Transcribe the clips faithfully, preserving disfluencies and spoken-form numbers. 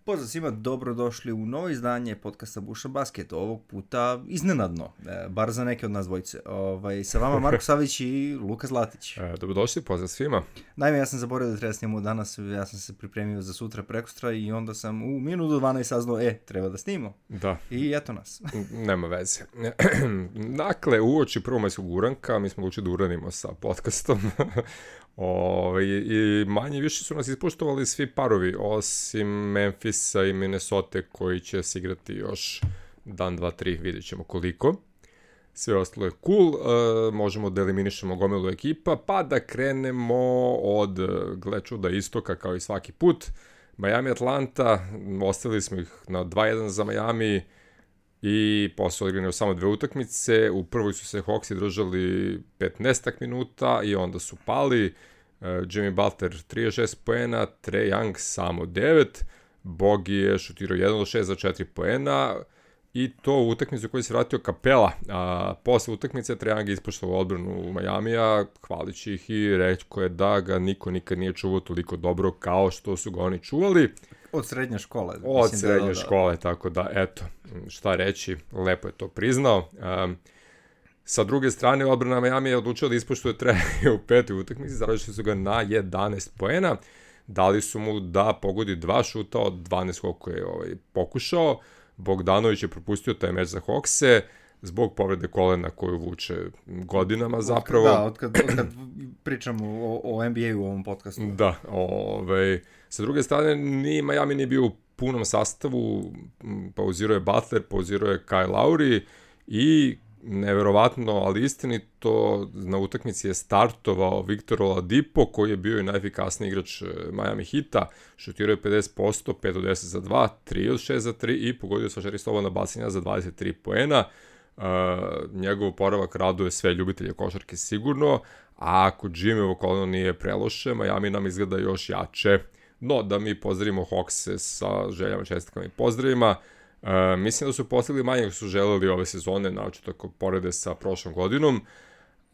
Pozdrav svima, dobrodošli u novo izdanje podcasta Buša Basket, ovog puta iznenadno, e, bar za neke od nas dvojice. Ovaj, sa vama Marko Savić i Luka Zlatić. E, dobrodošli, pozdrav svima. Naime, ja sam zaboravio da treba snimamo danas, ja sam se pripremio za sutra prekustra i onda sam u minutu dvanaest saznao, e, treba da snimamo. Da. I eto nas. Nema veze. Dakle, uoči prvomajskog uranka, mi smo odlučili da uranimo sa podcastom. O, i, i manje više su nas ispoštovali svi parovi, osim Memphisa i Minnesota koji će se igrati još dan, dva, tri, vidjet ćemo koliko. Sve ostalo je cool, e, možemo da eliminišemo gomilu ekipa, pa da krenemo od, gle čuda, istoka kao i svaki put. Miami Atlanta, ostavili smo ih na dva jedan za Miami i posle odigrane samo dve utakmice. U prvoj su se Hawksi držali petnaest minuta i onda su pali. Uh, Jimmy Butler trideset šest poena, Trae Young samo devet, Bogi je šutirao jedan od šest za četiri poena i to u utakmicu koju se vratio Kapela. A posle utakmice Trae Young je ispoštovao odbranu u Majamija, hvalići ih i rekao je da ga niko nikad nije čuvao toliko dobro kao što su ga oni čuvali. Od srednje škole. Od srednje da, da, da. škole, tako da, eto, šta reći, lepo je to priznao. Um, sa druge strane, odbrana Miami je odlučila da ispoštuje Trae u petoj utakmici, zaradili su ga na jedanaest poena, dali su mu da pogodi dva šuta od dvanaest koliko je ovaj, pokušao. Bogdanović je propustio taj meč za Hawkse zbog povrede kolena koju vuče godinama zapravo. Da, od kad, od kad pričamo o, o N B A u ovom podcastu. Da, ovaj, sa druge strane, ni Miami nije bio u punom sastavu, pauzirao je Butler, pauzirao je Kyle Lowry i neverovatno, ali istinito, na utakmici je startovao Victor Oladipo, koji je bio i najefikasniji igrač Miami Heata, šutirao je pedeset posto, pet od deset za dva, tri od šest za tri i pogodio sva četiri slobodna bacanja za dvadeset tri poena. Uh, njegov oporavak raduje sve ljubitelje košarke sigurno, a ako Jimmyovo koleno nije preloše, Miami nam izgleda još jače. No, da mi pozdravimo Hawkse sa željama, čestitkama i pozdravima. Uh, mislim da su postigli manje nego su želeli ove sezone, naočito ako porede sa prošlom godinom,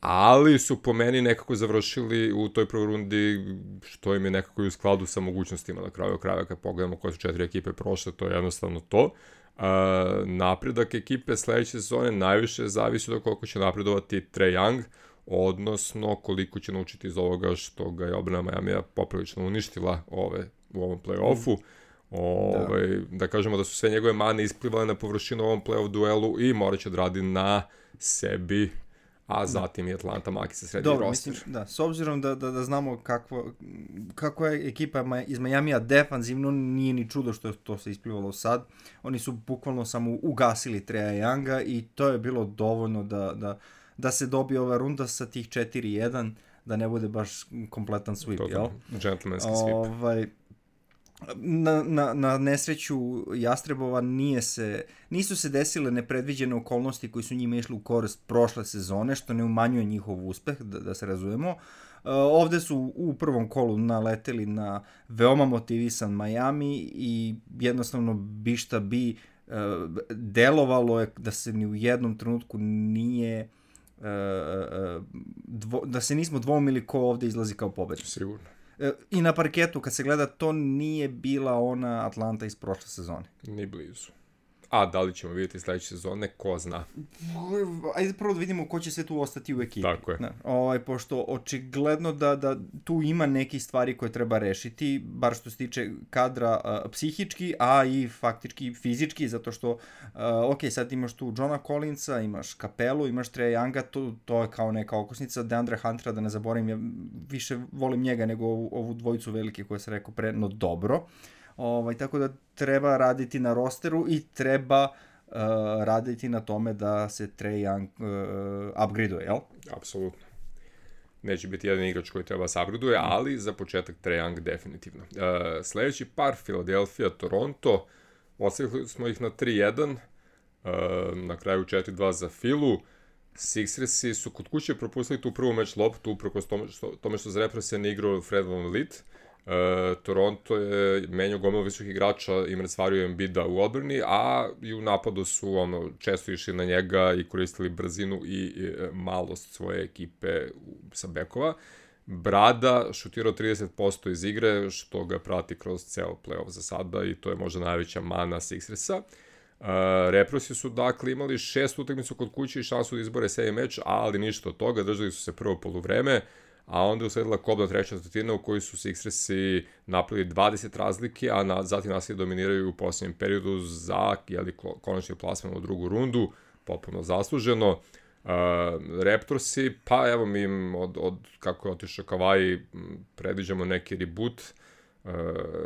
ali su po meni nekako završili u toj prvoj rundi, što im je nekako i u skladu sa mogućnostima na kraju kraja. Kad pogledamo koje su četiri ekipe prošle, to je jednostavno to. Uh, napredak ekipe sledeće sezone najviše zavisi od koliko će napredovati Trae Young, odnosno koliko će naučiti iz ovoga što ga je odbrana Majamija poprilično uništila ove, u ovom play-offu. Ove, da. da kažemo da su sve njegove mane isplivale na površinu u ovom play-off duelu i morat će da radi na sebi, a zatim i Atlanta maki se sredi Dobro, roster. Mislim, da, s obzirom da, da, da znamo kakvo, kako je ekipa iz Majamija defanzivno, nije ni čudo što je to se isplivalo sad. Oni su bukvalno samo ugasili Trae Younga i to je bilo dovoljno da, da, da se dobije ova runda sa tih četiri jedan, da ne bude baš kompletan sweep, to, jel? Gentlemanski sweep. Ovaj, Na, na, na nesreću Jastrebova nije se, nisu se desile nepredviđene okolnosti koji su njima išli u korist prošle sezone, što ne umanjuje njihov uspeh, da, da se razumemo. Uh, ovde su u prvom kolu naleteli na veoma motivisan Miami i jednostavno bi šta bi uh, delovalo je da se ni u jednom trenutku nije uh, uh, dvo, da se nismo dvoumili ko ovde izlazi kao pobednik. Sigurno. I na parketu, kad se gleda, to nije bila ona Atlanta iz prošle sezone. Ni blizu. A da li ćemo vidjeti sledeće sezone, ko zna. Ajde prvo da vidimo ko će se tu ostati u ekipi. Tako je. Ne, ovaj, pošto očigledno da, da tu ima neki stvari koje treba rešiti, bar što se tiče kadra uh, psihički, a i faktički fizički, zato što, uh, ok, sad imaš tu Johna Collinsa, imaš Capelu, imaš Trae Younga, to, to je kao neka okosnica, DeAndre Huntera, da ne zaboravim, ja više volim njega nego ovu, ovu dvojicu velike koje se rekao pre, no dobro. Ovaj, tako da treba raditi na rosteru i treba uh, raditi na tome da se Trae Young uh, upgradeuje, jel? Apsolutno. Neće biti jedan igrač koji treba se upgradeuje, ali za početak Trae Young definitivno. Uh, sledeći par, Philadelphia, Toronto, ostavili smo ih na tri jedan, uh, na kraju četiri dva za Philu. Sixersi su kod kuće propustili tu prvu meč loptu, uprkos tome što, tome što za repre se ne igrao Fred VanVleet. Uh, Toronto je menjao gomilu visokih igrača i mrcvario Embida u odbrani, a i u napadu su ono, često išli na njega i koristili brzinu i, i malost svoje ekipe sa bekova. Brada šutirao trideset posto iz igre, što ga prati kroz ceo play-off za sada i to je možda najveća mana Sixersa. Uh, Raptorsi su dakle imali šest utakmicu kod kuće i šansu da izbore sedmi meč, ali ništa od toga, držali su se prvo poluvreme, a onda je usledila kobna treća četvrtina u kojoj su Sixersi napravili dvadeset razlike, a na, zatim naslije dominiraju u posljednjem periodu za jeli, konačni plasman u drugu rundu, potpuno zasluženo. Uh, Raptorsi, pa evo mi im od, od kako je otišao Kawhi predviđamo neki reboot, uh,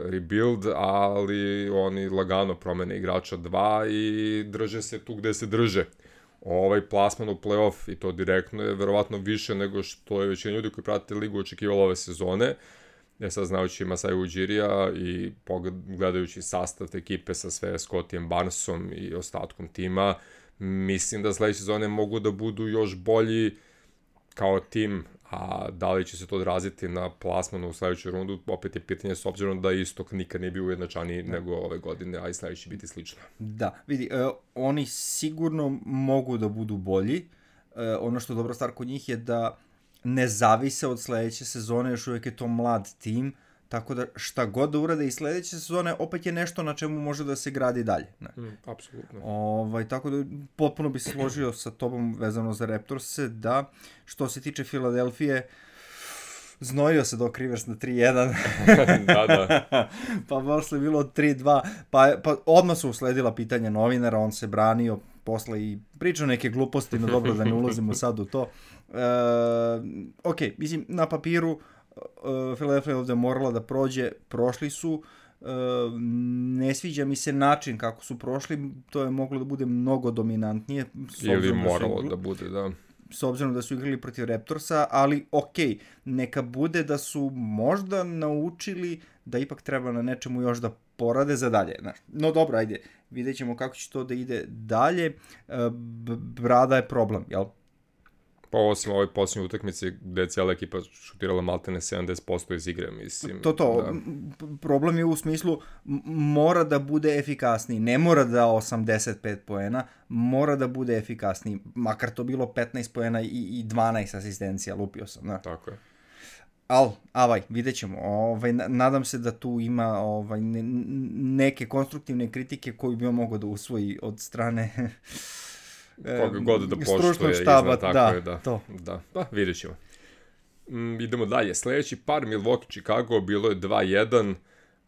rebuild, ali oni lagano promene igrača dva i drže se tu gde se drže. Ovaj plasman u playoff i to direktno je verovatno više nego što je većina ljudi koji prate ligu očekivalo ove sezone. Ja sad znajući Masai Ujirija i gledajući sastav te ekipe sa sve Scottijem Barnesom i ostatkom tima, mislim da sledeće sezone mogu da budu još bolji kao tim, a da li će se to odraziti na plasmanu u sledećoj rundu, opet je pitanje s obzirom da istok nikad nije bio ujednačaniji da. nego ove godine, a i sledeći biti slično. Da, vidi, uh, oni sigurno mogu da budu bolji. Uh, ono što je dobra stvar kod njih je da ne zavise od sledeće sezone, još uvijek je to mlad tim, tako da šta god da urade i sledeće sezone, opet je nešto na čemu može da se gradi dalje. Ne? Mm, apsolutno. Ovaj, tako da potpuno bi se složio sa tobom vezano za Raptorse, da što se tiče Filadelfije, znojio se Doc Rivers na tri jedan. da, da. Pa posle bilo tri dva, pa, pa odmah su usledila pitanja novinara, on se branio, posle i pričao neke gluposti, no dobro da ne ulazimo sad u to. E, ok, mislim, na papiru Uh, Philadelphia ovde morala da prođe, prošli su, uh, ne sviđa mi se način kako su prošli, to je moglo da bude mnogo dominantnije. Ili moralo da, da bude, da. S obzirom da su igrali protiv Raptorsa, ali ok, neka bude da su možda naučili da ipak treba na nečemu još da porade za dalje. No dobro, ajde, vidjet ćemo kako će to da ide dalje. Uh, Brada je problem, jel? Pa osim ovoj posljednje utakmice gde je cijela ekipa šutirala maltene sedamdeset posto iz igre, mislim. To to, da. Problem je u smislu mora da bude efikasniji, ne mora da osamdeset pet poena, mora da bude efikasniji, makar to bilo petnaest poena i, i dvanaest asistencija, lupio sam. Da. Tako je. Al, avaj, vidjet ćemo. Ovaj, nadam se da tu ima ovaj, ne, neke konstruktivne kritike koju bi on mogao da usvoji od strane koga god da poštuje štaba, iznad, tako da, je, da, to. da, pa vidjet ćemo. Mm, idemo dalje, sledeći par Milwaukee Chicago bilo je dva jedan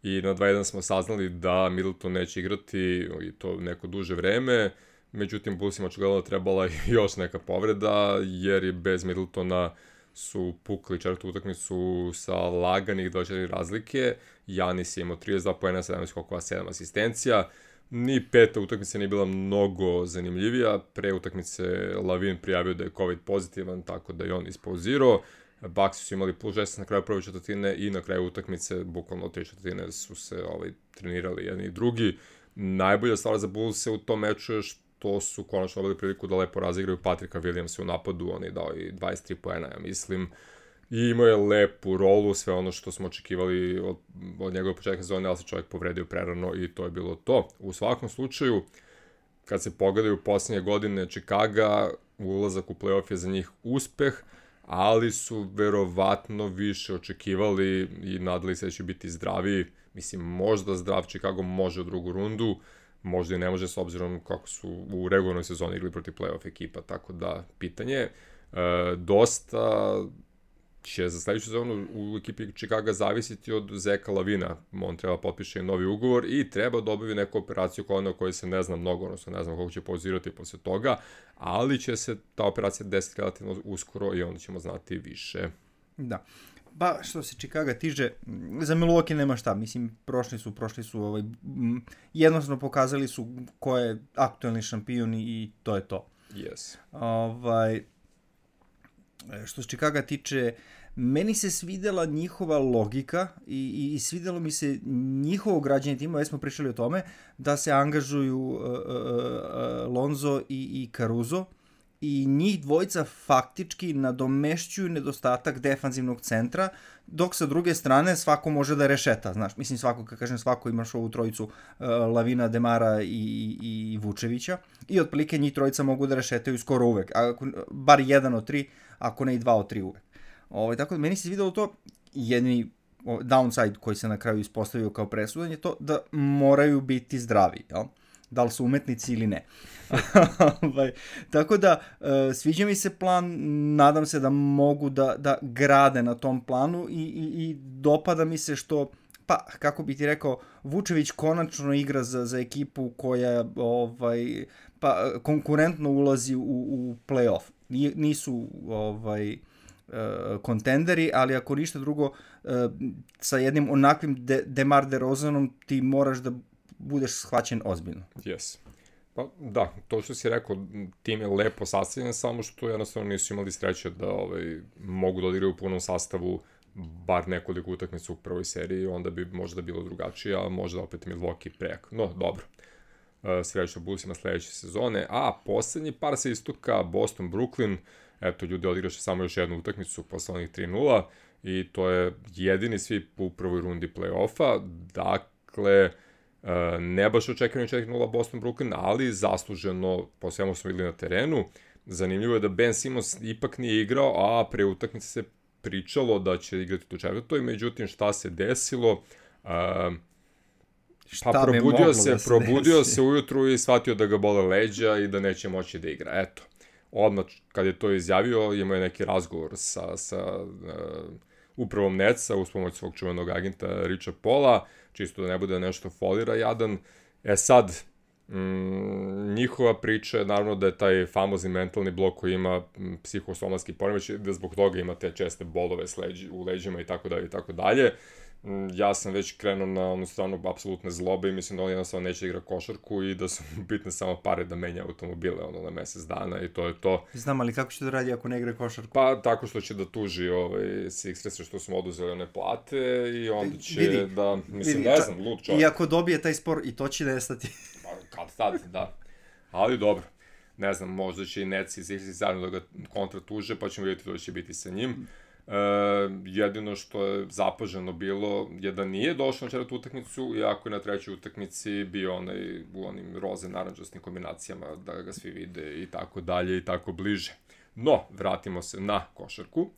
i na dva jedan smo saznali da Middleton neće igrati i to neko duže vreme, međutim Bullsima očigledno trebala još neka povreda jer je bez Middletona su pukli četvrtu utakmicu sa laganih dvadeset četiri razlike, Giannis je imao trideset dva poena, sedamnaest skokova, sedam asistencija. Ni peta utakmica nije bila mnogo zanimljivija. Pre utakmice Lavin prijavio da je COVID pozitivan, tako da je on ispauzirao. Bucks su imali plus šesnaest na kraju prve četvrtine i na kraju utakmice, bukvalno tri četvrtine su se ovaj, trenirali jedni i drugi. Najbolja stvar za Bulls u tom meču je što su konačno dobili priliku da lepo razigraju Patricka Williamsa u napadu. On je dao i dvadeset tri poena, ja mislim. I imao je lepu rolu, sve ono što smo očekivali od, od njegove početka sezone, ali se čovjek povredio prerano i to je bilo to. U svakom slučaju, kad se pogledaju posljednje godine Chicaga, ulazak u play-off je za njih uspeh, ali su verovatno više očekivali i nadali se da će biti zdraviji. Mislim, možda zdrav Chicago može u drugu rundu, možda i ne može s obzirom kako su u regularnoj sezoni igli protiv play-off ekipa, tako da pitanje je e, dosta će za sledeću sezonu u ekipi Chicaga zavisiti od Zeka Lavina. On treba potpiše novi ugovor i treba da obavi neku operaciju kolena o kojoj se ne zna mnogo, odnosno ne znam kako će pauzirati posle toga, ali će se ta operacija desiti relativno uskoro i onda ćemo znati više. Da. Pa što se Chicaga tiže, za Milwaukee nema šta, mislim, prošli su, prošli su, ovaj, jednostavno pokazali su ko je aktuelni šampion i to je to. Yes. Ovaj, što se Chicaga tiče, meni se svidela njihova logika i, i, i svidelo mi se njihovo građenje tima, već smo pričali o tome, da se angažuju uh, uh, uh, Lonzo i, i Caruso i njih dvojica faktički nadomešćuju nedostatak defanzivnog centra, dok sa druge strane svako može da rešeta, znaš, mislim svako, kad kažem svako, imaš ovu trojicu uh, Lavina, Demara i, i, i Vučevića i otprilike njih trojica mogu da rešetaju skoro uvek, ako, bar jedan od tri, ako ne i dva od tri uvek. Ovaj, tako da meni se videlo to, jedni downside koji se na kraju ispostavio kao presudan je to da moraju biti zdravi, jel? Da li su umetnici ili ne. Tako da, sviđa mi se plan, nadam se da mogu da, da grade na tom planu i, i, i dopada mi se što, pa, kako bi ti rekao, Vučević konačno igra za, za ekipu koja ovaj, pa, konkurentno ulazi u, u play-off. Nisu ovaj, kontenderi, ali ako ništa drugo, sa jednim onakvim de, Demar DeRozanom ti moraš da budeš shvaćen ozbiljno. Yes. Pa da, to što si rekao, tim je lepo sastavljen, samo što jednostavno nisu imali sreće da ovaj, mogu da odigraju u punom sastavu bar nekoliko utakmica u prvoj seriji, onda bi možda bilo drugačije, a možda opet Milwaukee prejak. No, dobro. Srećno Bullsima sledeće sezone. A, poslednji par se istoka, Boston, Brooklyn. Eto, ljudi odigraše samo još jednu utakmicu posle onih tri nula i to je jedini svi u prvoj rundi play-offa. Dakle, ne baš očekivano četiri nula Boston Brooklyn, ali zasluženo, po svemu smo videli na terenu. Zanimljivo je da Ben Simmons ipak nije igrao, a pre utakmice se pričalo da će igrati do četvrtoj, međutim šta se desilo? Šta pa probudio se, da se probudio se ujutru i shvatio da ga bole leđa i da neće moći da igra. Eto, odmah kad je to izjavio, imao je neki razgovor sa, sa uh, upravom Netsa uz pomoć svog čuvenog agenta Richa Paula, čisto da ne bude nešto folira jadan. E sad, mm, njihova priča je naravno da je taj famozni mentalni blok koji ima psihosomatski poremeć, da zbog toga ima te česte bolove s leđi, u leđima i tako dalje i tako dalje. Ja sam već krenuo na onu stranu apsolutne zlobe i mislim da on jednostavno neće igra košarku i da su bitne samo pare da menja automobile ono, na mesec dana i to je to. Znam, ali kako će da radi ako ne igra košarku? Pa tako što će da tuži ovaj, Sixerse što smo oduzeli one plate i onda će vidi, da, mislim, vidi, ne znam, lud čovjek. I ako dobije taj spor i to će nestati. Pa kad tad, da. Ali dobro, ne znam, možda će i Nets i Sixerse zajedno da ga kontra tuže pa ćemo vidjeti da će biti sa njim. Uh, jedino što je zapaženo bilo je da nije došao na četvrtu utakmicu, iako je na trećoj utakmici bio onaj u onim roze naranđastim kombinacijama da ga svi vide i tako dalje i tako bliže. No, vratimo se na košarku. Uh,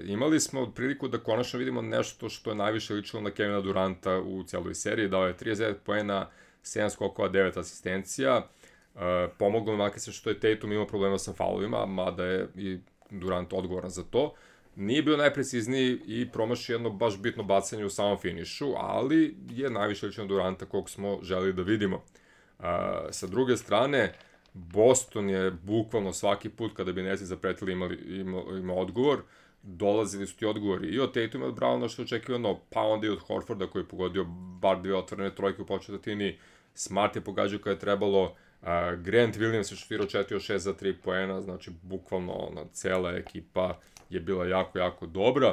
imali smo priliku da konačno vidimo nešto što je najviše ličilo na Kevina Duranta u cijeloj seriji, dao je trideset devet poena, sedam skokova, devet asistencija. Uh, pomoglo makar se što je Tatum imao problema sa faulovima, mada je i Durant odgovoran za to. Nije bio najprecizniji i promašio jedno baš bitno bacanje u samom finišu, ali je najviše lično Duranta kog smo želeli da vidimo. Uh, sa druge strane, Boston je bukvalno svaki put kada bi Netsi zapretili imali, ima, ima odgovor, dolazili su ti odgovori i od Tatuma i od Browna što je očekivano, pa onda i od Horforda koji je pogodio bar dve otvorene trojke u početini, Smart je pogađao kada je trebalo, Uh, Grant Williams je šutirao četiri od šest za tri poena, znači bukvalno ona, cela ekipa je bila jako, jako dobra.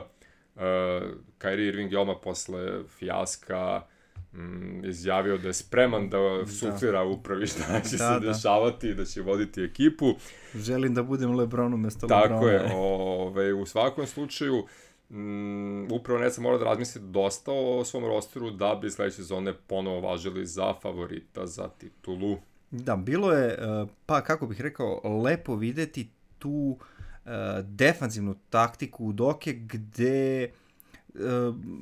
Uh, Kyrie Irving je odmah posle fijaska mm, izjavio da je spreman da suflira upravi šta će da, se da. dešavati i da će voditi ekipu. Želim da budem LeBron umesto Tako Lebrona. Tako je, ove, u svakom slučaju mm, upravo Netsa mora da razmisli dosta o svom rosteru da bi sledeće sezone ponovo važili za favorita za titulu. Da, bilo je, pa kako bih rekao, lepo videti tu uh, defanzivnu taktiku Udoke gde uh,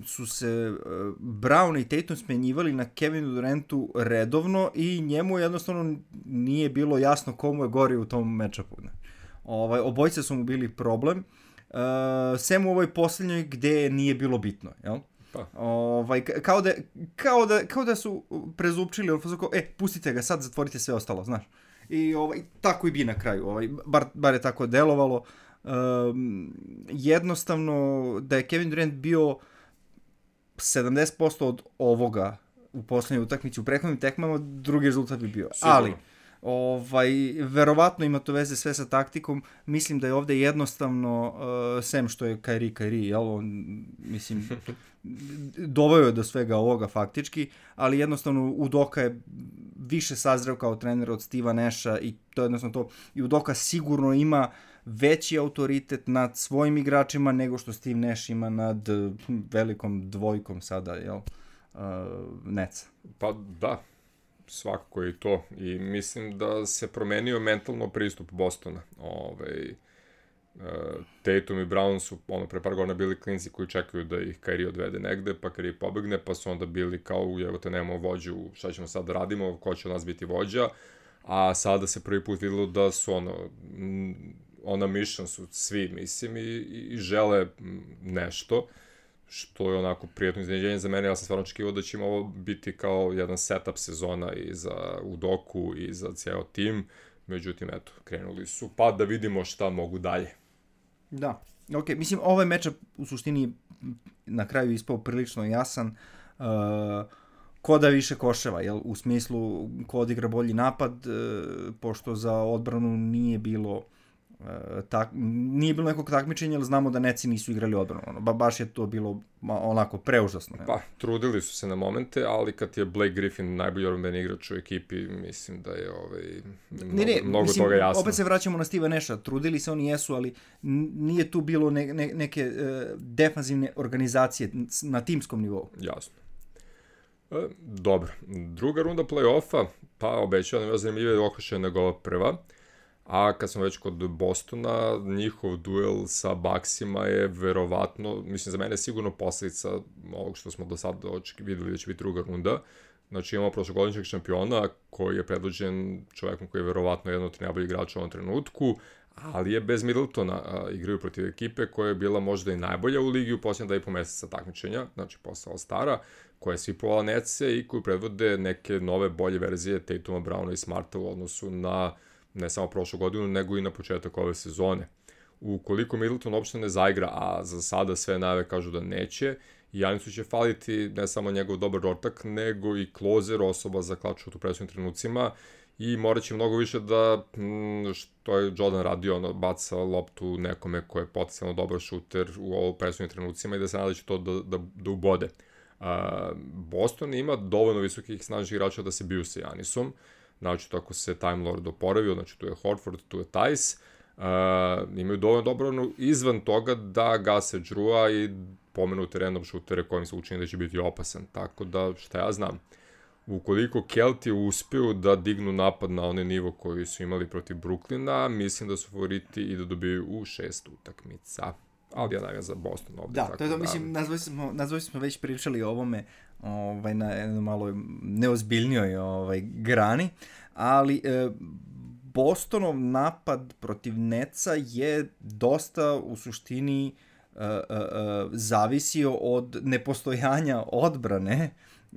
su se uh, Brown i Tatum smenjivali na Kevinu Durantu redovno i njemu jednostavno nije bilo jasno komu je gori u tom matchupu. Ovaj, obojice su mu bili problem, uh, sem u ovoj posljednjoj gde nije bilo bitno, jel? Pa. Ovaj, kao, da, kao, da, kao da su prezupčili, e, pustite ga sad, zatvorite sve ostalo, znaš. I ovaj, tako i bi na kraju, ovaj, bar, bar je tako delovalo. Um, jednostavno, da je Kevin Durant bio sedamdeset posto od ovoga u poslednjoj utakmici, u prethodnim tekmama, drugi rezultat bi bio. Sigurno. Ali, ovaj, verovatno ima to veze sve sa taktikom, mislim da je ovde jednostavno, uh, sem što je Kyrie Kyrie, jel, on, mislim, doveo je do svega ovoga faktički, ali jednostavno Udoka je više sazreo kao trener od Steva Nasha i to je jednostavno to, i Udoka sigurno ima veći autoritet nad svojim igračima nego što Steve Nash ima nad velikom dvojkom sada, jel, uh, Netsa. Pa da, svakako je to i mislim da se promenio mentalno pristup Bostona. Ovaj, Tatum i Brown su ono pre par godina bili klinci koji čekaju da ih Kyrie odvede negde, pa Kyrie pobegne, pa su onda bili kao, evo te nemamo vođu, šta ćemo sad da radimo, ko će od nas biti vođa, a sada se prvi put videlo da su ono, ona mission su svi, mislim, i, i žele nešto, što je onako prijatno iznenađenje za mene. Ja sam stvarno očekivao da će ovo biti kao jedan setup sezona i za Udoku i za cijel tim, međutim, eto, krenuli su, pa da vidimo šta mogu dalje. Da, ok, mislim, ovaj mečap u suštini na kraju ispao prilično jasan, uh, ko da više koševa, jel, u smislu ko odigra bolji napad, uh, pošto za odbranu nije bilo uh, tak, nije bilo nekog takmičenja, ali znamo da Netsi nisu igrali odbranu, ono, ba, baš je to bilo onako preužasno. Jel? Pa, trudili su se na momente, ali kad je Blake Griffin najbolji odbrambeni igrač u ekipi, mislim da je ovaj, mnogo, ne, ne, mnogo mislim, toga jasno. Opet se vraćamo na Steva Nasha, trudili se, oni jesu, ali nije tu bilo ne, ne, neke uh, defanzivne organizacije na timskom nivou. Jasno. E, dobro, druga runda play-offa, pa obećao nam je zanimljivije okršaj nego ova prva, a kad smo već kod Bostona, njihov duel sa Bucksima je verovatno, mislim za mene je sigurno posljedica ovog što smo do sada videli da će biti druga runda. Znači imamo prošlogodišnjeg šampiona koji je predvođen čovjekom koji je verovatno jedan od najboljih igrača u ovom trenutku, ali je bez Middletona, a, igraju protiv ekipe koja je bila možda i najbolja u ligi u posljednja da i po meseca takmičenja, znači posle All-Stara, koja je svipovala Netse i koju predvode neke nove bolje verzije Tatuma, Browna i Smarta u odnosu na ne samo prošlu godinu, nego i na početak ove sezone. Ukoliko Middleton uopšte ne zaigra, a za sada sve najave kažu da neće, Janisu će faliti ne samo njegov dobar rotak, nego i closer, osoba za klaču u presudnim trenucima, i morat će mnogo više da, što je Jordan radio, ono, baca loptu nekome ko je potencijalno dobar šuter u ovo presudnim trenucima i da se nada će to da, da, da ubode. Uh, Boston ima dovoljno visokih snažnih igrača da se biju sa Janisom, znači tako se Time Lord oporavio, znači tu je Horford, tu je Tice, uh, imaju dovoljno dobro izvan toga da gase Drewa i pomenute random šutere kojim se učini da će biti opasan, tako da šta ja znam. Ukoliko Kelti uspiju da dignu napad na onaj nivo koji su imali protiv Brooklyna, mislim da su favoriti i da dobiju u šest utakmica. Ali ja navijam za Boston ovde. Da, tako to je to, da... mislim, nazvali smo, nazvali smo već pričali o ovome ovaj, na jednoj malo neozbiljnijoj ovaj, grani, ali e, Bostonov napad protiv Netsa je dosta u suštini e, e, zavisio od nepostojanja odbrane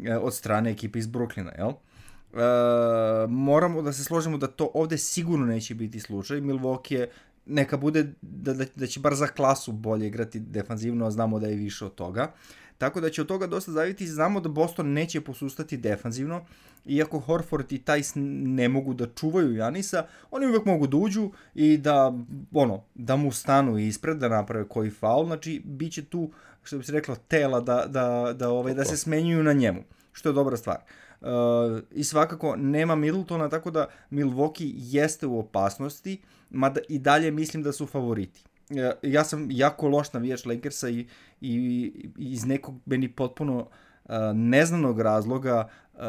e, od strane ekipe iz Brooklyna, jel? E, moramo da se složimo da to ovde sigurno neće biti slučaj. Milwaukee je neka bude da, da, da će bar za klasu bolje igrati defanzivno, a znamo da je više od toga. Tako da će od toga dosta zaviti. Znamo da Boston neće posustati defanzivno, iako Horford i Tice ne mogu da čuvaju Janisa, oni uvek mogu da uđu i da, ono, da mu stanu ispred, da naprave koji faul. Znači, bit će tu, što bi se reklo, tela da, da, da, ovaj, da se smenjuju na njemu, što je dobra stvar. Uh, I svakako nema Middletona, tako da Milwaukee jeste u opasnosti, mada i dalje mislim da su favoriti. Uh, ja sam jako loš navijač Lakersa i, i, i iz nekog meni potpuno uh, neznanog razloga uh,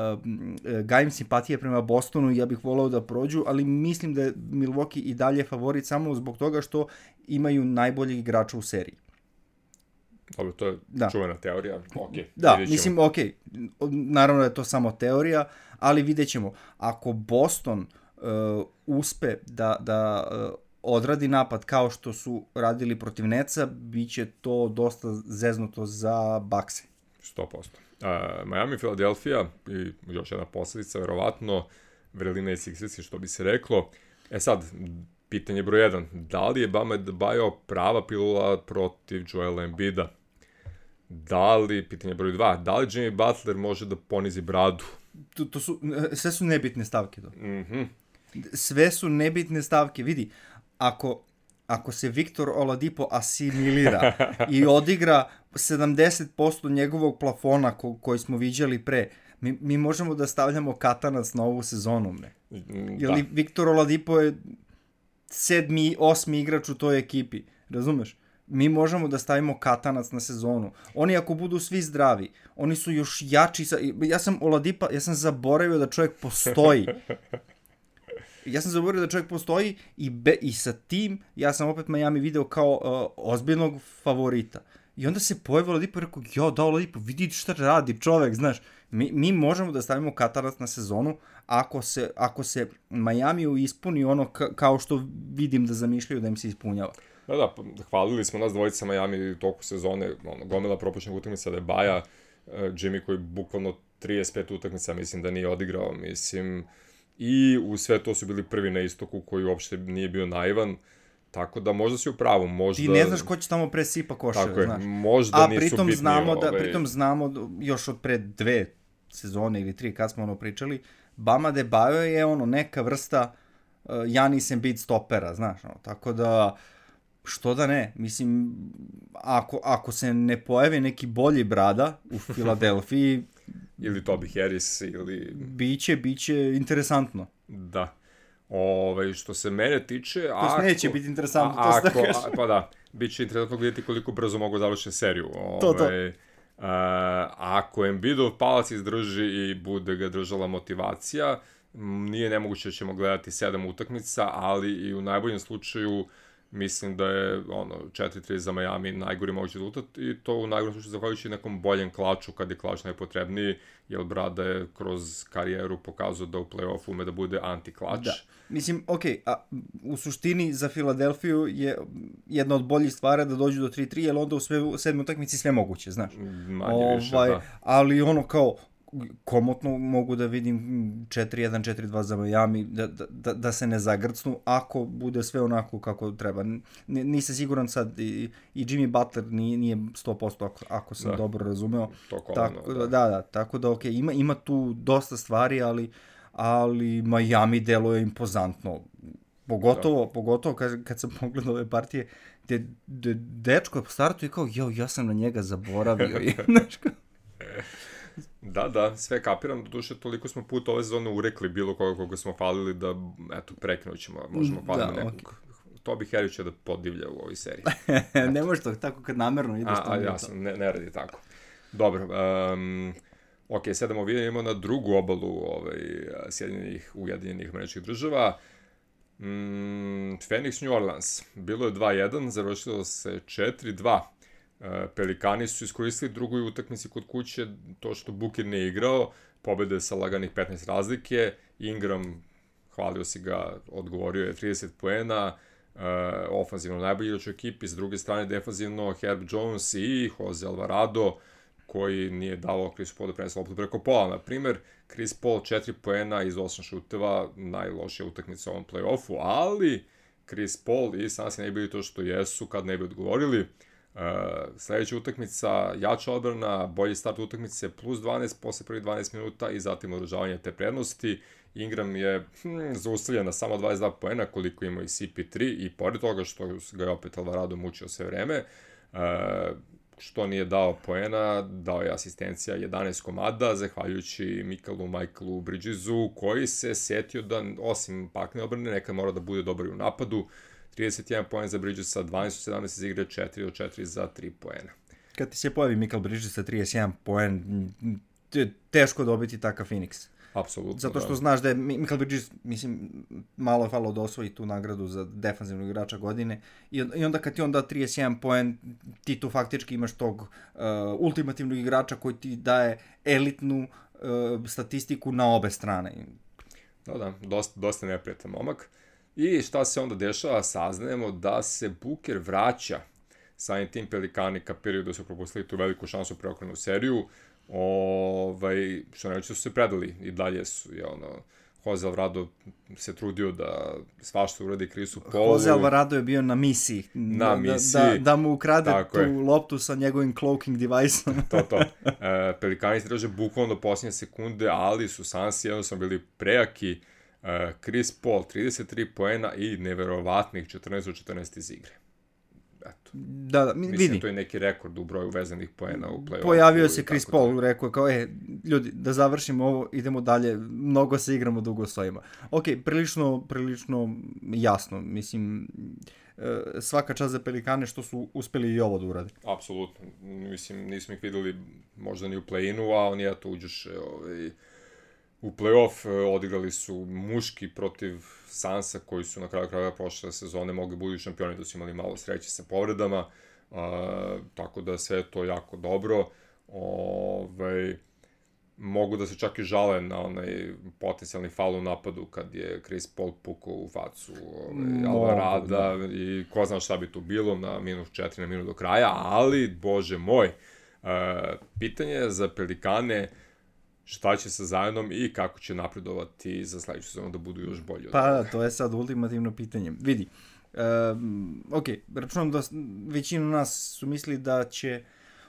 gajim simpatije prema Bostonu i ja bih volao da prođu, ali mislim da je Milwaukee i dalje favorit samo zbog toga što imaju najboljeg igrača u seriji. Dobro, to je da. Čuvena teorija, ok. Da, mislim, ok, naravno da je to samo teorija, ali vidjet ćemo. Ako Boston uh, uspe da, da uh, odradi napad kao što su radili protiv Netsa, bit će to dosta zeznuto za Buckse. sto posto. Uh, Miami, Philadelphia i još jedna posljedica, verovatno, vrelina i Sixersi, što bi se reklo. E sad, pitanje broj jedan, da li je Bam Adebayo prava pilula protiv Joela Embida? Da li, pitanje broj dva, da li Jimmy Butler može da ponizi bradu? To, to su, sve su nebitne stavke. To. Mm-hmm. Sve su nebitne stavke. Vidi, ako, ako se Victor Oladipo asimilira i odigra sedamdeset posto njegovog plafona ko, koji smo viđali pre, mi, mi možemo da stavljamo katanac na ovu sezonu. Ne? Jer da. Victor Oladipo je sedmi, osmi igrač u toj ekipi, razumeš? Mi možemo da stavimo katanac na sezonu. Oni ako budu svi zdravi, oni su još jači. Sa... Ja sam Oladipa, ja sam zaboravio da čovjek postoji. Ja sam zaboravio da čovjek postoji i, be, i sa tim ja sam opet Miami video kao uh, ozbiljnog favorita. I onda se pojavio Oladipo i rekao, jo, da Oladipo, vidi šta radi čovjek, znaš. Mi, mi možemo da stavimo Katarac na sezonu ako se, ako se Miami ispuni ono ka, kao što vidim da zamišljaju da im se ispunjava. Da, da, hvalili smo nas dvojica Miami u toku sezone, ono, gomila propuštenih utakmica da je Baja, uh, Jimmy koji bukvalno trideset pet utakmica mislim da nije odigrao, mislim, i u sve to su bili prvi na istoku koji uopšte nije bio naivan, tako da možda si u pravu, možda... Ti ne znaš ko će tamo presipa koševe, tako je, znaš. možda a nisu pritom bitni, znamo da, ovaj... pritom znamo još od pre dve sezone ili tri kad smo ono pričali, Bama Adebayo je ono neka vrsta uh, Giannis Embiid stopera, znaš, ono, tako da što da ne, mislim, ako, ako se ne pojavi neki bolji brada u Filadelfiji... ili Toby Harris, ili... Biće, biće interesantno. Da. Ove, što se mene tiče... To ako, neće biti interesantno, a, to ako, da kažem. Pa da, bit će interesantno gledati koliko brzo mogu završiti seriju. Ove, to, to. Uh, ako Embiidov palac izdrži i bude ga držala motivacija, nije nemoguće da ćemo gledati sedam utakmica, ali i u najboljem slučaju mislim da je ono četiri tri za Miami najgori mogući rezultat i to u najgorem slučaju zahvaljujući nekom boljem klaču kad je klač najpotrebniji, jer Brada je kroz karijeru pokazao da u play-offu ume da bude anti-klač. Da. Mislim, okej, okay, a u suštini za Filadelfiju je jedna od boljih stvari da dođu do tri tri, jer onda u sve, u sedmoj utakmici sve moguće, znaš. Manje više, ovaj, da. Ali ono kao, komotno mogu da vidim četiri jedan četiri dva za Miami, da, da, da se ne zagrcnu, ako bude sve onako kako treba. N, nisam siguran sad, i, i Jimmy Butler nije, nije sto posto ako, ako sam da. dobro razumeo. To koleno, tako, da. da, da, tako da, okej, okay, ima, ima tu dosta stvari, ali, ali Miami deluje impozantno. Pogotovo, da. pogotovo kad, kad sam pogledao ove partije, gde, gde dečko je po startu i kao, jo, ja sam na njega zaboravio. I, znaš kao... Da, da, sve kapiram, doduše toliko smo puta ove sezone urekli bilo koga koga smo falili da, eto, prekinut ćemo, možemo faliti da, nekog. Okay. To bi Harry će da podivlja u ovoj seriji. Ne može to tako kad namerno ideš a, to. A, jasno, ne, ne radi tako. Dobro, um, ok, sedamo vidimo na drugu obalu ovaj, Sjedinjenih Ujedinjenih Američkih Država. Mm, Phoenix New Orleans, bilo je dva jedan, završilo se četiri dva. Pelikani su iskoristili drugoj utakmici kod kuće, to što Booker nije igrao, pobede sa laganih petnaest razlike, Ingram, hvalio si ga, odgovorio je trideset poena, uh, ofanzivno najbolji igrač u ekipi, s druge strane defanzivno Herb Jones i Jose Alvarado, koji nije davao Chris Paul da prenese loptu preko pola. Na primer, Chris Paul četiri poena iz osam šuteva, najlošija utakmica u ovom play-offu, ali Chris Paul i Sansi ne bili to što jesu kad ne bi odgovorili. Uh, sledeća utakmica, jača odbrana, bolji start utakmice, plus dvanaest posle prvih dvanaest minuta i zatim održavanje te prednosti. Ingram je hm, zaustavljen na samo dvadeset dva poena, koliko ima i C P tri, i pored toga što ga je opet Alvarado mučio sve vreme, uh, što nije dao poena, dao je asistencija jedanaest komada, zahvaljujući Mikaelu Michaelu Bridgesu, koji se setio da, osim pakne odbrane, nekad mora da bude dobar u napadu. trideset jedan poen za Bridgesa, dvanaest od sedamnaest iz igre, četiri od četiri za tri poena. Kad ti se pojavi Michael Bridges sa trideset jedan poen, teško dobiti takav Phoenix. Apsolutno, zato što da. Znaš da je Michael Bridges, mislim, malo je falilo da osvoji tu nagradu za defanzivnog igrača godine, i onda kad ti on da trideset jedan poen, ti tu faktički imaš tog uh, ultimativnog igrača koji ti daje elitnu uh, statistiku na obe strane. Da, da, dosta, dosta neprijetan momak. I šta se onda dešava? Saznajemo da se Booker vraća. Samim tim Pelikani kapiraju da su propustili tu veliku šansu preokrenu seriju. Ovaj, što ne reći su se predali i dalje su, je ono, Jose Alvarado se trudio da svašta uradi Chrisu Paulu. Jose Alvarado je bio na misiji. Na da, misiji. Da, da mu ukrade Tako tu je. loptu sa njegovim cloaking device-om. To, to. E, Pelikani se drže bukvalno do posljednje sekunde, ali su Sansi jednostavno bili prejaki. E, Chris Paul, trideset tri poena i neverovatnih četrnaest od četrnaest iz igre. Eto. Da, da, vidi. Mislim, to je neki rekord u broju vezanih poena u play-offu. Pojavio se Chris Paul, rekao je kao, e, ljudi, da završimo ovo, idemo dalje, mnogo se igramo, dugo stojimo. Ok, prilično, prilično jasno, mislim, svaka čast za Pelikane što su uspeli i ovo da urade. u play-off, odigrali su muški protiv Sansa, koji su na kraju kraja prošle sezone mogli budu šampioni, da su imali malo sreće sa povredama, uh, tako da sve je to jako dobro. Ovaj, mogu da se čak i žale na onaj potencijalni faul u napadu kad je Chris Paul pukao u facu ovaj, Alvarada da. I ko zna šta bi tu bilo na minus četiri na minut do kraja, ali, bože moj, uh, pitanje je za Pelikane šta će sa Zionom i kako će napredovati za sledeću sezonu da budu još bolji. Pa da, to je sad ultimativno pitanje. Vidi, um, ok, računam da većinu nas su mislili da će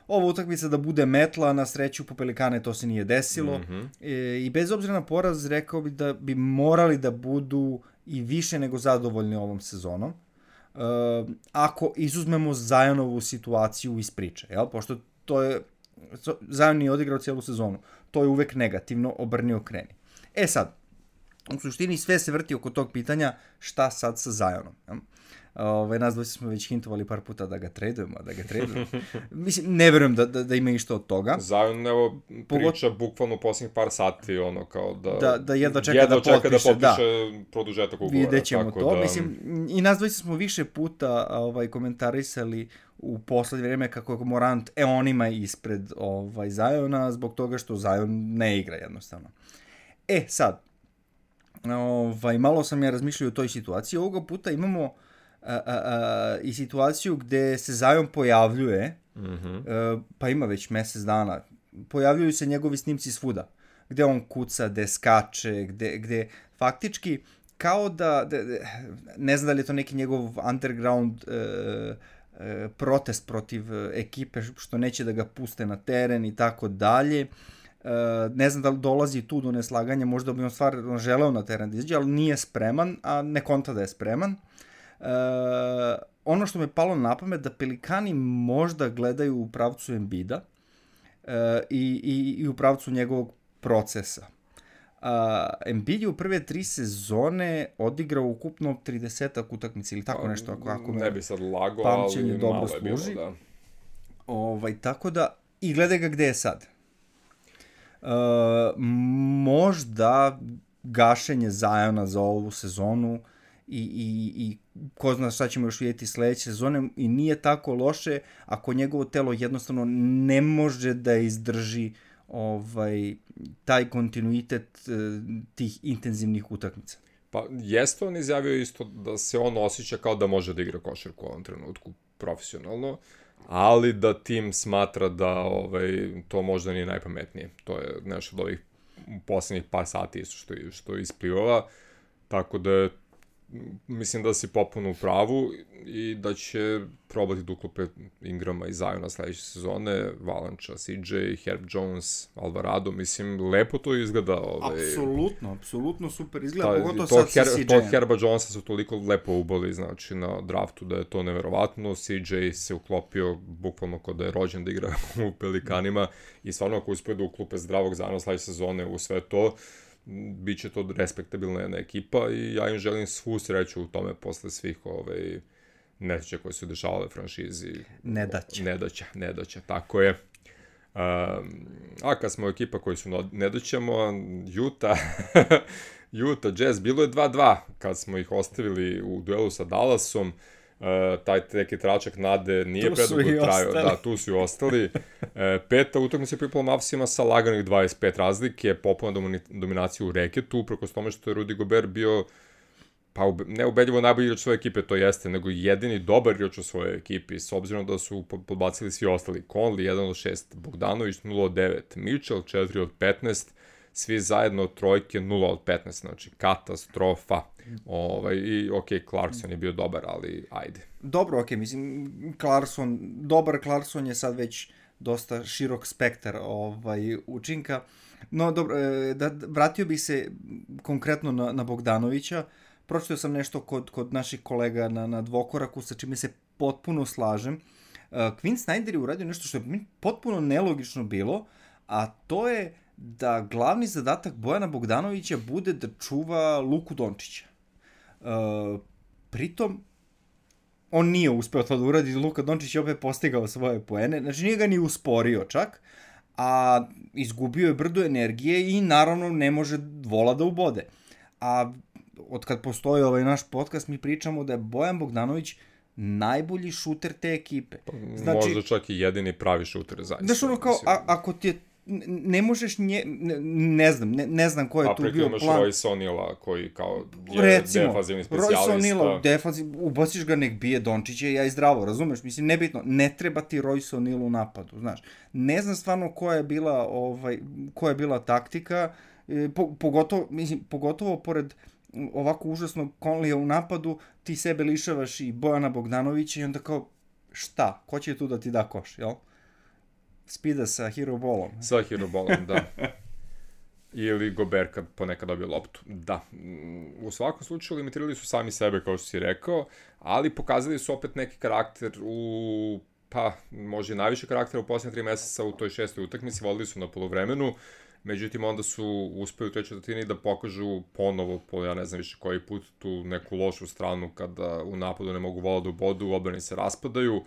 ova utakmica da bude metla, na sreću po Pelikane to se nije desilo. Mm-hmm. E, I bez obzira na poraz, rekao bi da bi morali da budu i više nego zadovoljni ovom sezonom. E, ako izuzmemo Zionovu situaciju iz priče, jel? Pošto to je, Zion nije odigrao cijelu sezonu. To je uvek negativno, obrni okreni. E sad, u suštini sve se vrti oko tog pitanja šta sad sa Zionom. Jel? Ove, nas dvojice smo već hintovali par puta da ga tradujemo, da ga tradujemo. Mislim, ne verujem da, da, da ima išta od toga. Zion, evo, priča Pogot... bukvalno u posljednjih par sati, ono, kao da... Da, da jedva čeka, jedva da, čeka potpiše, da potpiše da. Produžetak ugovora. Vidjet ćemo tako to. Da... Mislim, i nas dvojice smo više puta ovaj, komentarisali u poslednje vreme kako je Morant, e, on ima ispred ovaj, Ziona, zbog toga što Zion ne igra jednostavno. E, sad, ovaj, malo sam ja razmišljao o toj situaciji. Ovoga puta imamo A, a, a, i situaciju gde se Zion pojavljuje, mm-hmm. a, pa ima već mesec dana, pojavljuju se njegovi snimci svuda, gde on kuca, gde skače, gde, gde faktički kao da, da, ne znam da li je to neki njegov underground e, e, protest protiv ekipe što neće da ga puste na teren i tako dalje. Ne znam da li dolazi tu do neslaganja, možda bi on stvarno želeo na teren da izađe, ali nije spreman, a ne konta da je spreman. Uh, ono što me palo na pamet da Pelikani možda gledaju u pravcu Embida uh, i, i, i u pravcu njegovog procesa. Uh, Embiid je u prve tri sezone odigrao ukupno tridesetak utakmica ili tako nešto, ako, ako ne bi sad lago, ali malo je bilo, da. Ovaj, tako da, i gledaj ga gde je sad. Uh, možda gašenje Ziona za ovu sezonu i, i, i ko zna šta ćemo još vidjeti sledeće sezone i nije tako loše ako njegovo telo jednostavno ne može da izdrži ovaj, taj kontinuitet uh, tih intenzivnih utakmica. Pa jeste on izjavio isto da se on osjeća kao da može da igra košarku u ovom trenutku profesionalno, ali da tim smatra da ovaj, to možda nije najpametnije. To je nešto od ovih poslednjih par sati što, što isplivava, tako da mislim da si popuno u pravu i da će probati da uklope Ingrama i Ziona sledeće sezone, Valanča, C J, Herb Jones, Alvarado, mislim, lepo to izgleda. Ovaj... Apsolutno, apsolutno super izgleda, Ta, pogotovo sad sa Her, C J-em. Tog Herba Jonesa su toliko lepo ubali, znači, na draftu da je to neverovatno, C J se uklopio bukvalno kod da je rođen da igra u Pelikanima i stvarno ako uspije da uklope zdravog Ziona sledeće sezone u sve to, biće to respektabilna jedna ekipa i ja im želim svu sreću u tome posle svih ovaj, nedaća koje su dešavale franšizi. Nedaća. Nedaća, nedaća, tako je. Um, a kad smo ekipa koji su nedaćamo, Utah, Utah Jazz, bilo je dva dva kad smo ih ostavili u duelu sa Dallasom. Uh, taj neki tračak nade nije predugo trajao. Da, tu su i ostali. Uh, peta utakmica pripala Mavsima sa laganih dvadeset pet razlike, popuna dominacija u reketu, uprkos tome što je Rudy Gobert bio pa ube, ne ubedljivo najbolji igrač svoje ekipe, to jeste, nego jedini dobar igrač u svojoj ekipi, s obzirom da su podbacili svi ostali. Conley jedan od šest, Bogdanović nula od devet, Mitchell četiri od petnaest, svi zajedno trojke nula od petnaest, znači katastrofa. Ovaj, i ok, Clarkson je bio dobar, ali ajde. Dobro, ok, mislim, Clarkson, dobar Clarkson je sad već dosta širok spektar ovaj, učinka. No, dobro, da, vratio bih se konkretno na, na Bogdanovića. Pročitao sam nešto kod, kod naših kolega na, na dvokoraku, sa čime se potpuno slažem. Uh, Quinn Snyder je uradio nešto što je potpuno nelogično bilo, a to je da glavni zadatak Bojana Bogdanovića bude da čuva Luku Dončića. Uh, pritom, on nije uspeo to da uradi, Luka Dončić je opet postigao svoje poene, znači nije ga ni usporio čak, a izgubio je brdo energije i naravno ne može vola da ubode. A od kad postoji ovaj naš podcast mi pričamo da je Bojan Bogdanović najbolji šuter te ekipe. Znači, možda čak i jedini pravi šuter zaista. Znaš ono kao, a, ako ti je, ne možeš nje, ne, ne znam, ne, ne znam ko je a tu bio plan. A pritom imaš Royce O'Neala koji kao je recimo, defanzivni specijalista. Royce O'Neala, defanziv, ubaciš ga nek bije Dončića i ja i zdravo, razumeš? Mislim, nebitno, ne treba ti Royce O'Neal u napadu, znaš. Ne znam stvarno koja je bila, ovaj, koja je bila taktika, po, pogotovo, mislim, pogotovo pored ovako užasnog Conleya u napadu, ti sebe lišavaš i Bojana Bogdanovića i onda kao, šta? Ko će tu da ti da koš, jel? Spida sa hero ballom. Sa hero ballom, da. Ili Gobert kad ponekad dobije loptu. Da. U svakom slučaju limitirali su sami sebe, kao što si rekao, ali pokazali su opet neki karakter u, pa, može najviše karaktera u posljednje tri meseca u toj šestoj utakmici, vodili su na polovremenu, međutim onda su uspeli u toj četvrtini da pokažu ponovo, po ja ne znam više koji put, tu neku lošu stranu kada u napadu ne mogu vola da ubodu, u odbrani se raspadaju.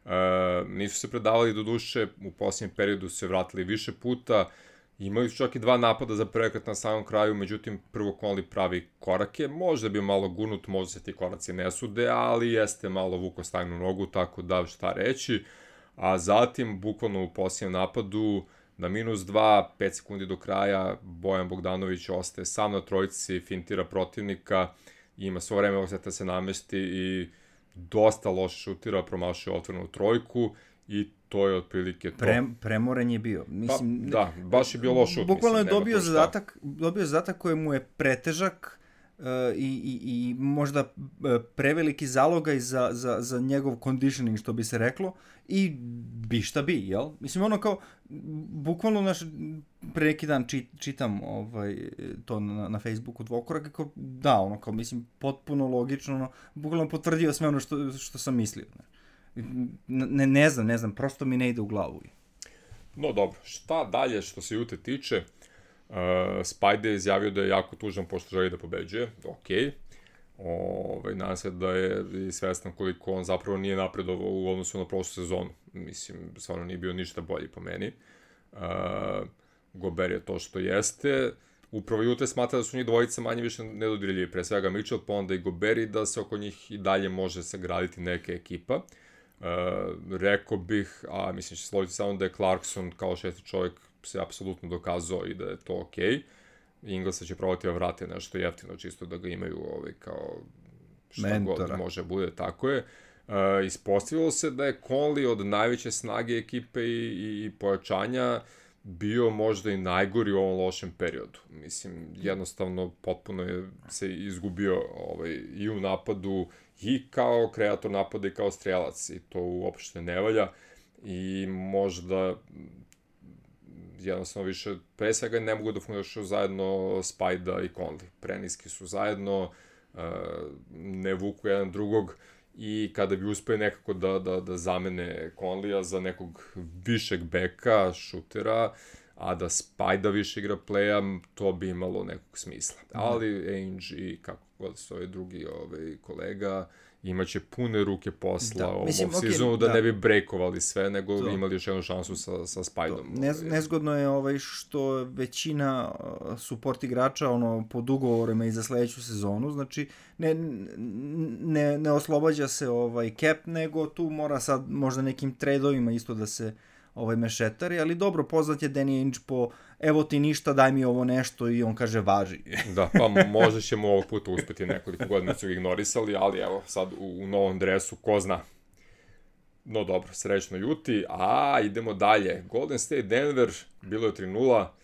E, nisu se predavali do duše, u posljednjem periodu se vratili više puta, imali su čak i dva napada za preokret na samom kraju, međutim prvo Conley pravi korake, možda bi malo gurnut, možda se ti koraci ne sude, ali jeste malo vuko stajnu nogu, tako da šta reći, a zatim bukvalno u posljednjem napadu na minus dva, pet sekundi do kraja, Bojan Bogdanović ostaje sam na trojici, fintira protivnika, ima svo vreme osjeta se namesti i dosta loše šutira, promašuje otvorenu trojku i to je otprilike to. Pre, premoren je bio. Mislim, pa, da, baš je bio loš šut. Bukvalno je mislim, dobio zadatak, dobio zadatak koji mu je pretežak uh, i, i, i možda preveliki zalogaj za, za, za njegov conditioning, što bi se reklo, i bi šta bi, jel? Mislim, ono kao, bukvalno naš, pre neki dan čit, čitam ovaj, to na, na Facebooku Dvokorak, kao, da, ono kao, mislim, potpuno logično, ono, bukvalno potvrdio sve ono što, što sam mislio, ne. Ne, ne znam, ne znam, prosto mi ne ide u glavu. No dobro, šta dalje što se Jute tiče, uh, Spajde je izjavio da je jako tužan pošto želi da pobeđuje, okej. Ove, nadam se da je i svestan koliko on zapravo nije napredovao u odnosu na prošlu sezonu. Mislim, stvarno nije bio ništa bolji po meni. Uh, Gobert je to što jeste. Upravo Jute smatra da su njih dvojica manje više nedodirljivi, pre svega Mitchell, pa onda i Gobert, i da se oko njih i dalje može sagraditi neka ekipa. Uh, rekao bih, a mislim će složiti samo da je Clarkson kao šesti čovjek se apsolutno dokazao i da je to okej. Okay. Inglesa će probati da vrate nešto jeftino, čisto da ga imaju ovaj, kao šta mentora. God može bude, tako je. Uh, ispostavilo se da je Conley od najveće snage ekipe i, i, i pojačanja bio možda i najgori u ovom lošem periodu. Mislim, jednostavno potpuno je se izgubio ovaj, i u napadu, i kao kreator napada i kao strelac, i to uopšte ne valja, i možda jednostavno više, pre svega ne mogu da funkcionišu zajedno Spajda i Conley. Preniski su zajedno, ne vuku jedan drugog, i kada bi uspeli nekako da, da, da zamene Conleya za nekog višeg beka, šutera, a da Spajda više igra playa, to bi imalo nekog smisla. Ali Ainge i kako god su ovaj drugi ovaj, kolega, imaće pune ruke posla da, ovom mislim, sezonu okay, da, da ne bi breakovali sve, nego to. Imali još jednu šansu sa, sa Spajdom. Ne, nezgodno je ovaj, što većina support igrača ono, pod ugovorima i za sledeću sezonu, znači ne, ne, ne oslobađa se ovaj cap, nego tu mora sad možda nekim tradeovima isto da se ovaj mešetari, ali dobro, poznat je Danny Ainge po evo ti ništa, daj mi ovo nešto, i on kaže važi. Da, pa možda ćemo ovog puta uspeti, nekoliko godina su ga ignorisali, ali evo sad u, u novom dresu, ko zna. No dobro, srećno Juti, a idemo dalje. Golden State Denver, bilo je tri nula,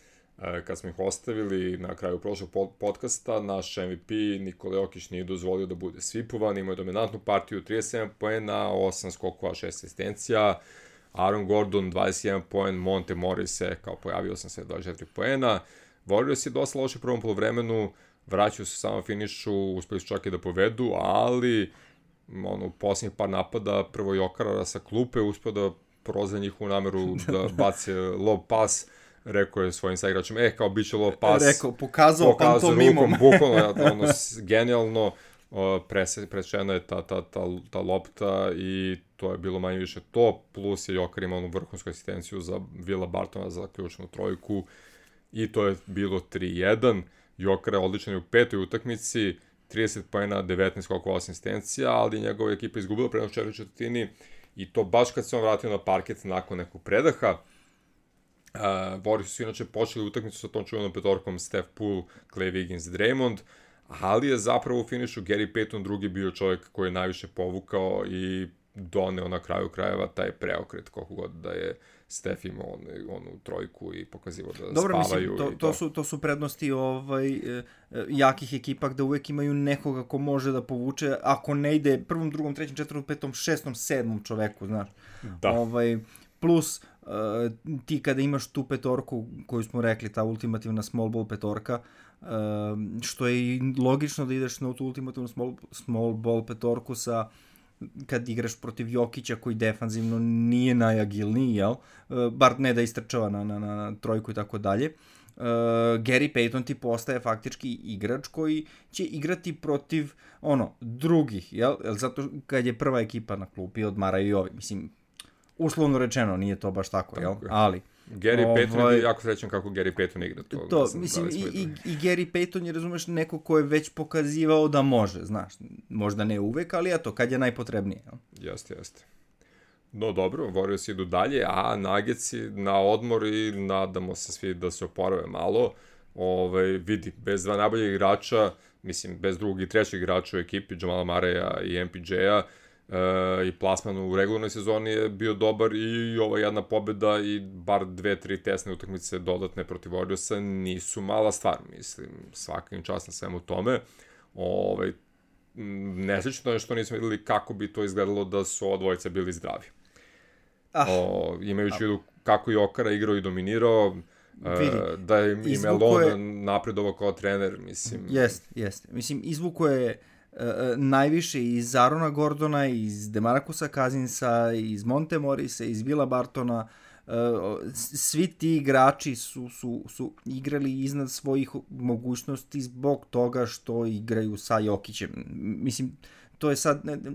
kad smo ih ostavili na kraju prošlog podcasta, naš M V P Nikola Jokić nije dozvolio da bude svipovan, imao je dominantnu partiju, trideset sedam poena, osam skokova, šest asistencija, Aaron Gordon, dvadeset jedan poen, Monte Morris se kao pojavio sam se dvadeset četiri poena. Warriors je dosta loše u prvom polovremenu, vraćaju se samo finišu, uspeli su čak i da povedu, ali ono, u posljednjih par napada prvo Jokarara sa klupe uspio da prozve njihovu nameru da bace lob pas. Rekao je svojim saigračima, e, kao bit će lob pas. Rekao, pokazao, pokazao pantomimom. Rukom, bukvalno, ono, genijalno. presečena je ta, ta, ta, ta lopta i to je bilo manje više to, plus je Joker imao onu vrhunsku asistenciju za Willa Bartona za ključnu trojku i to je bilo tri jedan. Joker je odličan u petoj utakmici, trideset poena, devetnaest skokova, asistencija, ali njegova ekipa izgubila prednost u četvrtoj četvrtini i to baš kad se on vratio na parket nakon nekog predaha. Uh, Warriors su inače počeli utakmicu sa tom čuvenom petorkom Steph Poole, Clay Wiggins, Draymond, ali je zapravo u finišu Gary Payton drugi bio čovjek koji je najviše povukao i doneo na kraju krajeva taj preokret, koliko god da je Steph imao onu, onu trojku i pokazivo da dobro, spavaju. Dobro, mislim, to, to. To, su, to su prednosti ovaj, jakih ekipa gde uvek imaju nekoga ko može da povuče, ako ne ide prvom, drugom, trećem, četvrtom, petom, šestom, sedmom čoveku, znaš. Da. Ovaj, plus, uh, ti kada imaš tu petorku koju smo rekli, ta ultimativna small ball petorka, uh, što je i logično da ideš na tu ultimativnu small, small ball petorku sa kad igraš protiv Jokića koji defanzivno nije najagilniji, jel? Uh, bar ne da istrčava na, na, na trojku i tako dalje. Uh, Gary Payton ti postaje faktički igrač koji će igrati protiv ono, drugih, jel? Zato kad je prva ekipa na klupi odmaraju i ovi, mislim, uslovno rečeno, nije to baš tako, tako jel? Je. Ali Gary ovaj, Payton je jako srećan kako Gary Payton igra to. To, mislim, i, i, i Gary Payton je, razumeš, neko ko je već pokazivao da može, znaš, možda ne uvek, ali eto, kad je najpotrebnije. Jel? Jeste, jeste. No dobro, Warriors idu dalje, a Nuggetsi na odmor i nadamo se svi da se oporave malo. Ovaj, vidi, bez dva najbolje igrača, mislim, bez drugog i trećeg igrača u ekipi, Jamala Murraya i M P J-a, Uh, i plasman u regularnoj sezoni je bio dobar i ova jedna pobjeda i bar dve, tri tesne utakmice dodatne protiv Warriorsa nisu mala stvar, mislim, svaka im čast na svemu tome. Ovaj, nesrećno je što nismo videli kako bi to izgledalo da su ova dvojica bili zdravi. Ah, o, imajući ah. vidu kako je Jokara igrao i dominirao, vidi, uh, da je i Melon je... napredovao kao trener, mislim. Jeste, jeste. Mislim, izvuko je Uh, najviše iz Arona Gordona, iz DeMarcusa Cousinsa, iz Monte Morrisa, iz Willa Bartona. Uh, svi ti igrači su, su, su igrali iznad svojih mogućnosti zbog toga što igraju sa Jokićem. Mislim, to je sad ne, ne,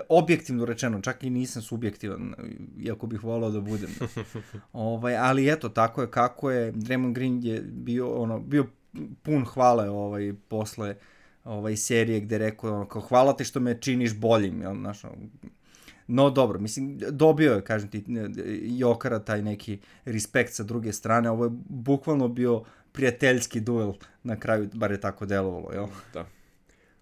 objektivno rečeno, čak i nisam subjektivan, iako bih volao da budem. ovaj, ali eto, tako je kako je. Draymond Green je bio, ono, bio pun hvale ovaj, posle ovaj serije gde rekao ono, kao hvala ti što me činiš boljim, jel, znaš, no dobro, mislim, dobio je, kažem ti, Jokara taj neki respekt sa druge strane, ovo je bukvalno bio prijateljski duel na kraju, bar je tako delovalo, jel? Da.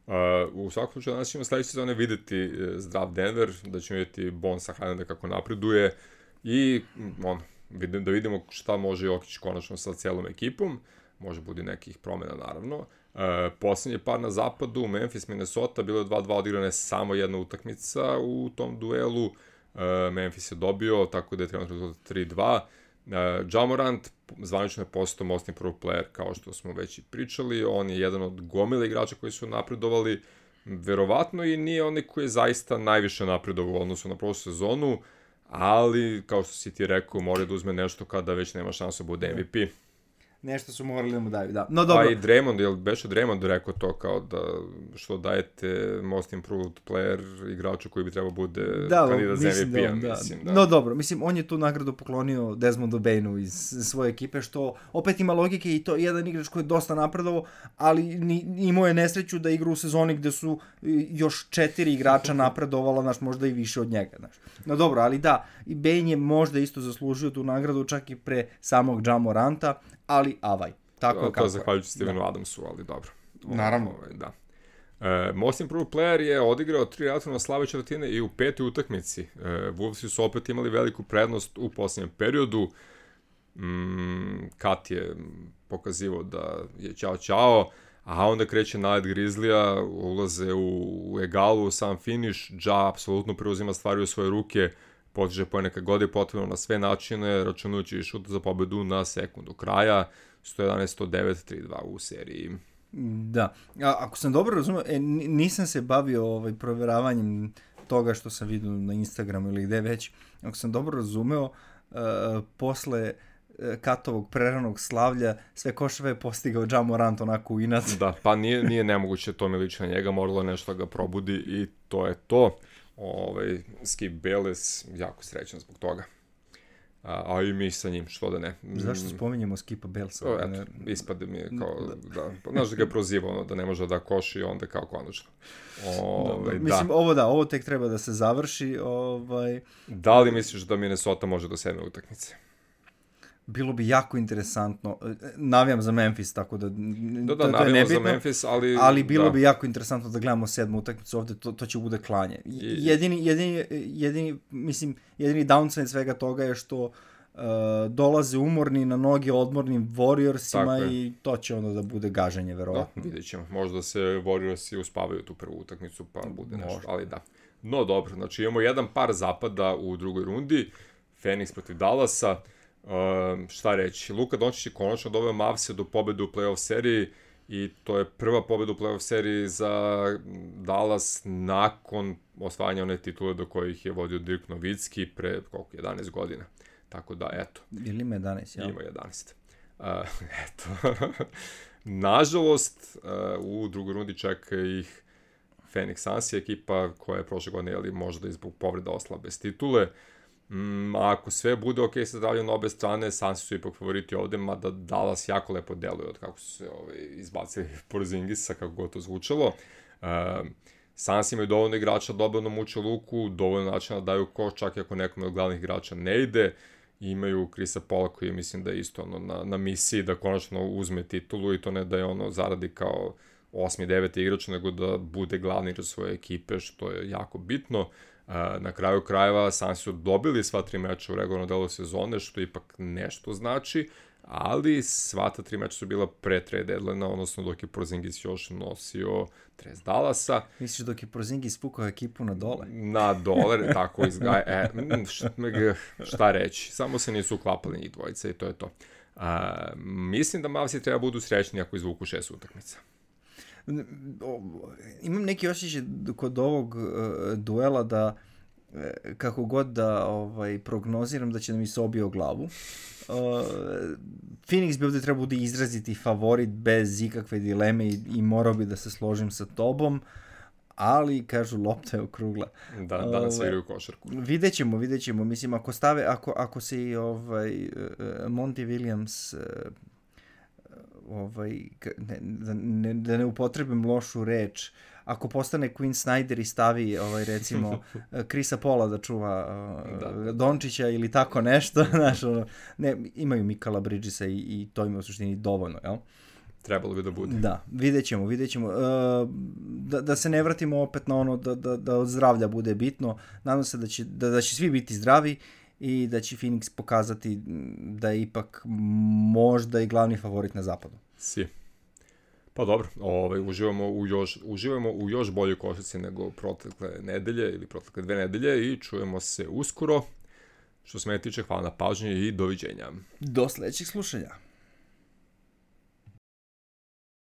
Uh, u svakom slučaju danas ćemo sledeće sezone videti zdrav Denver, da ćemo vidjeti Bonesa Highlanda kako napreduje i on, vidim, da vidimo šta može Jokić konačno sa cijelom ekipom, može budi nekih promjena naravno. Uh, posljednji par na zapadu, Memphis, Minnesota, bilo je dva dva odigrane samo jedna utakmica u tom duelu. Uh, Memphis je dobio, tako da je trenutno tri dva. Uh, Ja Morant zvanično je postao most improved player, kao što smo već i pričali. On je jedan od gomile igrača koji su napredovali, verovatno i nije onaj koji je zaista najviše napredovao u odnosu na prošlu sezonu, ali, kao što si ti rekao, mora da uzme nešto kada već nema šansu da bude M V P. Nešto su morali da mu daju, da. No, dobro. Pa i Draymond, jel beše Draymond rekao to kao da što dajete most improved player igraču koji bi trebao bude da, kandidat za M V P-a, da, mislim. Da. No dobro, mislim, on je tu nagradu poklonio Desmondu Bainu iz svoje ekipe, što opet ima logike i to jedan igrač koji je dosta napredovao, ali ni, imao je nesreću da igra u sezoni gde su još četiri igrača napredovala, znaš, možda i više od njega, znaš. No dobro, ali da, i Bain je možda isto zaslužio tu nagradu čak i pre samog Ja Moranta, ali avaj. Tako to, je kako to zahvaljujući Stevenu Adamsu, ali dobro. Naravno. Ovaj, da. E, most improved player je odigrao tri relativno slabe četvrtine i u petoj utakmici. E, Wolvesi su opet imali veliku prednost u posljednjem periodu. Mm, Kat je pokazivao da je ćao ćao, a onda kreće nalet Grizzlija, ulaze u, u egalu, u sam finish, Ja apsolutno preuzima stvari u svoje ruke, potiže po neka god je potrebno na sve načine, računajući i šut za pobedu na sekundu kraja, sto jedanaest sto devet tri dva u seriji. Da, a, ako sam dobro razumio, e, nisam se bavio ovaj, proveravanjem toga što sam vidio na Instagramu ili gde već, ako sam dobro razumeo, uh, posle Katovog preranog slavlja, sve koševe je postigao Ja Morant onako u inat. Da, pa nije, nije nemoguće, to mi liči na njega, moralo nešto da ga probudi i to je to. Ovaj, Skip Bayless, jako srećan zbog toga. A, a i mi sa njim, što da ne. Zašto spominjemo Skipa Baylessa? Eto, ispade mi je kao, da, da znaš da ga je prozivao, ono, da ne može da koši i onda kao konačno. Ovaj, da, mislim, ovo da, ovo tek treba da se završi. Ovaj... Da li misliš da Minnesota može do sedme utakmice? Bilo bi jako interesantno. Navijam za Memphis, tako da... Da, da, navijam za Memphis, ali... Ali bilo da. bi jako interesantno da gledamo sedmu utakmicu ovde, to, to će bude klanje. Jedini, jedini, jedini, mislim, jedini downside svega toga je što uh, dolaze umorni na noge odmornim Warriorsima i to će onda da bude gaženje, verovatno. Da, vidjet ćemo. Možda se Warriorsi uspavaju tu prvu utakmicu, pa bude nešto, možda. Ali da. No, dobro, znači imamo jedan par zapada u drugoj rundi, Phoenix protiv Dallasa. Uh, šta reći, Luka Dončić je konačno doveo Mavse do pobede u play-off seriji i to je prva pobeda u play-off seriji za Dallas nakon osvajanja one titule do kojih je vodio Dirk Nowitzki pre koliko, jedanaest godina. Tako da, eto. Ili ima jedanaest, ja? Ima jedanaest. Uh, eto. Nažalost, uh, u drugoj rundi čeka ih Phoenix Suns, ekipa koja je prošle godine, jeli, možda i zbog povreda ostala bez titule. Mm, ako sve bude ok sa zdravljom na obe strane, Sansi su ipak favoriti ovde, mada Dallas jako lepo deluje od kako su se ovaj, izbacili Porzingisa, kako god to zvučalo. Uh, Sansi imaju dovoljno igrača, dovoljno muče luku, dovoljno načina da daju koš, čak i ako nekome od glavnih igrača ne ide. Imaju Chrisa Paula koji mislim da je isto ono, na, na misiji da konačno uzme titulu i to ne da je ono zaradi kao osmi, deveti igrač, nego da bude glavni igrač svoje ekipe, što je jako bitno. Na kraju krajeva Sansi su dobili sva tri meča u regularnom delu sezone, što ipak nešto znači, ali sva ta tri meča su bila pre trade deadline-a, odnosno dok je Porzingis još nosio dres Dallasa. Misliš dok je Porzingis pukao ekipu na dole? Na dole, tako izgaja. E, šta, šta reći, samo se nisu uklapali njih dvojice i to je to. A, mislim da Mavsi treba budu srećni ako izvuku šest utakmica. Imam neki osjećaj kod ovog uh, duela da uh, kako god da ovaj, prognoziram da će da mi se obije o glavu. Uh, Phoenix bi ovdje trebao bude izraziti favorit bez ikakve dileme i, i morao bi da se složim sa tobom, ali kažu lopta je okrugla. Da, danas uh, igraju košarku. Vidjet ćemo, vidjet ćemo. Mislim, ako stave, ako, ako se i ovaj, uh, Monty Williams uh, ovaj, ne, da, ne, da ne upotrebim lošu reč, ako postane Quinn Snyder i stavi ovaj, recimo Chrisa Paula da čuva uh, da. Dončića ili tako nešto, znaš, ono, ne, imaju Mikala Bridgesa i, i to ima u suštini dovoljno, jel? Trebalo bi da bude. Da, vidjet ćemo, vidjet ćemo. Uh, da, da se ne vratimo opet na ono da, da, da od zdravlja bude bitno. Nadam se da će, da, da će svi biti zdravi i da će Phoenix pokazati da je ipak možda i glavni favorit na zapadu. Si. Pa dobro, ovaj, uživamo, u još, uživamo u još boljoj košarci nego protekle nedelje ili protekle dve nedelje i čujemo se uskoro. Što se mene tiče, hvala na pažnji i doviđenja. Do sledećeg slušanja.